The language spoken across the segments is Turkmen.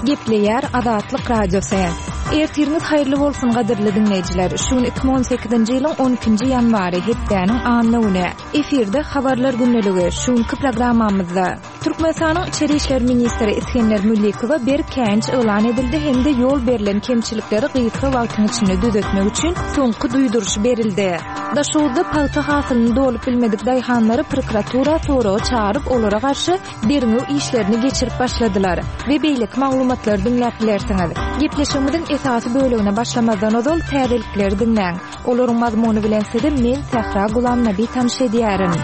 Gepleýär Azatlyk Radiosy. Ertiriňiz haýyrly bolsun gadyrly diňleýjiler. Şu gün 2018-nji ýylyň 12-nji ýanwary, hepdäniň anna güni. Efirde Habarlar gündeligi. Şu günki programmamyzda Türkmenistanyň Içeri işler ministri Isgender Müllikowa berk käýinç yglan edildi hem-de ýol berlen kemçilikleri gysga wagtyň içinde düzetmek üçin soňky duýduryş berildi. Daşoguzda pagta hasylyny dolup bilmedik daýhanlary prokuratura soraga çagyryp, olara garşy derňew işlerini geçirip başladylar we beýleki maglumatlary diňläp bilersiňiz. Gepleşigimiziň esasy bölegine başlamazdan ozal täzelikleri diňläň. Olaryň mazmuny bilen sizi men Sähra Gulamnabi tanyş edýärin.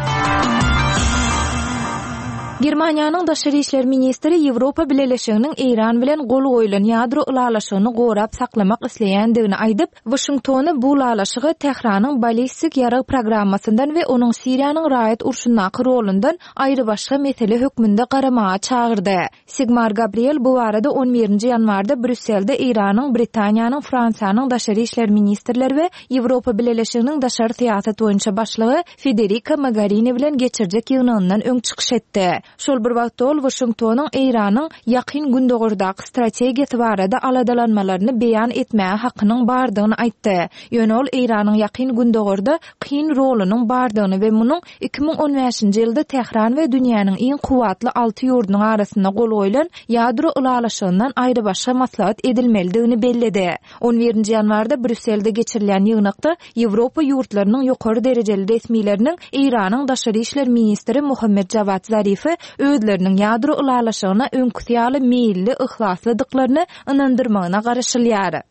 Germaniýanyň daşary işler ministri Ýewropa Bileleşiginiň Eýran bilen gol goýlan ýadro ylalaşygyny gorap saklamak isleýändigini aýdyp, Waşingtony bu ylalaşyga Tähranyň ballistik ýarag programmasyndan we onuň Siriýanyň raýat urşundaky rolundan aýrybaşga mesele hökmünde garamaga çagyrdy. Sigmar Gabriel bu barada on birinji ýanwarda Brýusselde Eýranyň, Britaniýanyň, Fransiýanyň daşary işler ministrleri we Ýewropa Bileleşiginiň daşary syýasat boýunça başlygy Federika Mogarini bilen geçirjek ýygnagyndan öň çykyş etdi. Şol bir wagtda ol Waşingtonyň Eýranyň Ýakyn Gündogardaky strategiýasy barada aladalanmalaryny beýan etmäge hakynyň bardygyny aýtdy. Ýöne ol Eýranyň Ýakyn Gündogarda kyn rolunyň bardygyny we munuň 2015-nji ýylda Tähran we dünýäniň iň kuwwatly alty ýurdunyň arasynda gol goýlan ýadro ylalaşygyndan aýrybaşga maslahat edilmelidigini belledi. On birinji ýanwarda Brýusselde geçirilýän ýygnakda Ýewropa ýurtlarynyň ýokary derejeli resmileriniň Eýranyň daşary işler ministri Mohammed Jawad Zarifi özleriniň ýadro ylalaşygyna öňküsi ýaly meýilli, yhlaslydyklaryny ynandyrmagyna garaşylýar.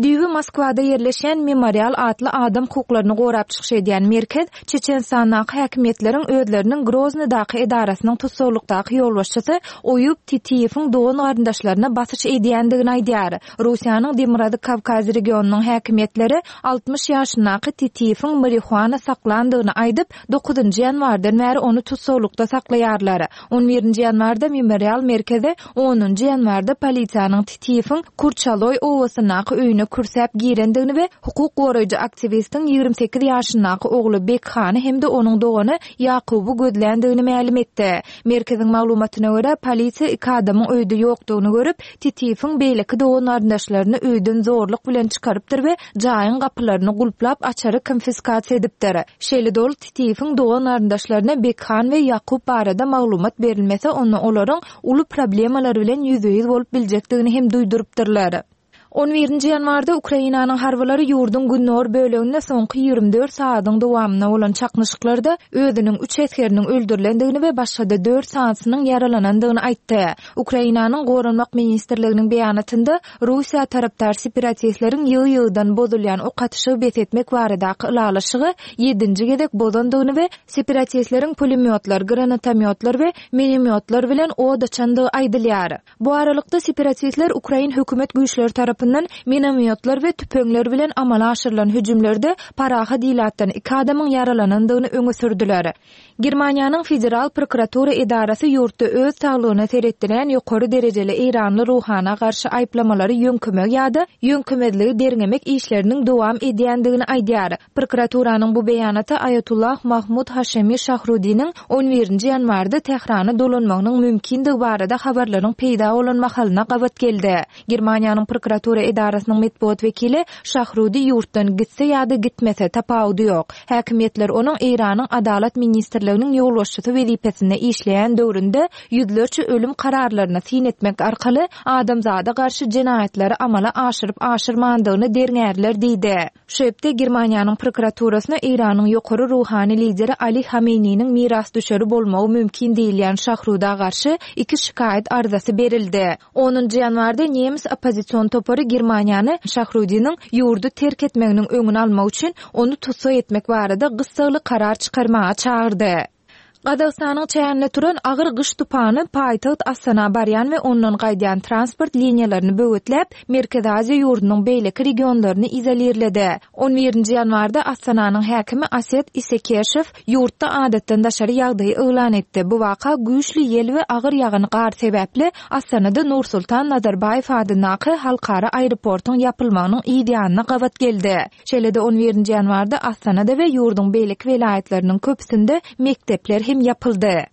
Düýbi Moskwada ýerleşýän Memorial atly adam hukuklaryny gorap çykyş edýän merkez Çeçenistandaky häkimiýetleriň özleriniň Groznydaky edarasynyň tussaglykdaky ýolbaşçysy Oýub Titiýewiň dogan-garyndaşlaryna basyş edýändigini aýdýar. Russiýanyň Demirgazyk Kawkaz regionynyň häkimiýetleri 60 ýaşyndaky Titiýewiň marihuana saklandygyny aýdyp, dokuzynjy ýanwardan bäri ony tussaglykda saklaýarlar. On birinji ýanwarda Memorial merkezi onunjy ýanwarda polisiýanyň Titiýewiň Kurçaloý obasyndaky öýüne kürsäp girendigini we hukuk goraýjy aktiwistiň 28 ýaşyndaky ogly Bekhany hem-de onuň dogany Ýakuby gözländigini mälim etdi. Merkeziň maglumatyna görä, polisiýa iki adamyň öýde ýokdugyny görüp, Titiýewiň beýleki dogan-garyndaşlaryny öýden zorluk bilen çykarypdyr we jaýyň gapylaryny gulplap, açary konfiskasiýa edipdir. Şeýle-de ol Titiýewiň dogan-garyndaşlaryna Bekhan we Ýakup barada maglumat berilmese, onda olaryň uly problemalar bilen ýüzbe-ýüz bolup biljekdigini hem duýdurypdyrlar. On birinji ýanwarda Ukrainanyň harbylary ýurduň gündogar böleginde soňky 24 sagadyň dowamynda bolan çaknyşyklarda özüniň üç esgeriniň öldürilendigini we başga-da dört sanysynyň ýaralanandygyny aýtdy. Ukrainanyň Goranmak ministrliginiň beýanatynda Russiýa tarapdar separatistleriň ýygy-ýygydan bozulýan ok atyşygy bes etmek baradaky ylalaşygy ýedinji gezek bozandygyny we separatistleriň pulemýotlar, granatomýotlar we minomýotlar bilen od açandygy aýdylýar. Bu aralykda, separatistler ukrain hökümet güýçleri tarapyndan minomýotlar we tüpeňler bilen amala aşyrylan hüjümlerde parahat ilatdan iki adamyň ýaralanandygyny öňe sürdüler. Germaniýanyň Federal prokuratura edarasy ýurtda öz saglygyna seretdirýän ýokary derejeli eýranly ruhana garşy aýyplamalary ýöňkemegi ýa-da ýöňkemezligi derňemek işleriniň dowam edýändigini aýdýar. Prokuraturanyň bu beýanaty Aýatullah Mahmud Haşemi Şahrudiniň on birinji ýanwarda Tährana dolanmagynyň mümkindigi barada habarlaryň peýda bolan mahalyna gabat geldi. Germaniýanyň prokuratura edarasynyň metbugat wekili Şahrudi ýurtdan gitse ýa-da gitmese, tapawudy ýok. Häkimiýetler onuň Eýranyň Adalat ministrliginiň ýolbaşçysy wezipesinde işleýän döwründe ýüzlerçe ölüm kararlaryna syn etmek arkaly adamzada garşy jenaýatlary amala aşyryp-aşyrmandygyny derňärler diýdi. Şu hepde Germaniýanyň prokuraturasyna Eýranyň ýokary ruhany lideri Ali Hameýniniň mirasdüşeri bolmagy mümkin diýilýän Şahruda garşy iki şikaýat arzasy berildi. Onunjy ýanwarda nemes oppozision topary Germaniýany Şahrudiniň ýurdy terk etmeginiň öňüni almak üçin ony tussag etmek barada gyssagly karar çykarmaga çagyrdy. Gazagystanyň çäginde turan agyr gyş tupany paýtagt Astana barýan we ondan gaýdýan transport liniýalaryny böwetläp, Merkezi Aziýa ýurdunyň beýleki regionlaryny izolirledi. On birinji ýanwarda Astananyň häkimi Aset Isekeşew ýurtda adatdan daşary ýagdaýy yglan etdi. Bu waka güýçli ýel we agyr ýagan gar sebäpli Astanada Nursultan Nazarbaýew adyndaky halkara aeroportyň ýapylmagynyň yz ýanyna gabat geldi. Şeýle-de on birinji ýanwarda Astanada we ýurduň beýleki welaýatlarynyň köpüsinde mekdepler hem ýapyldy.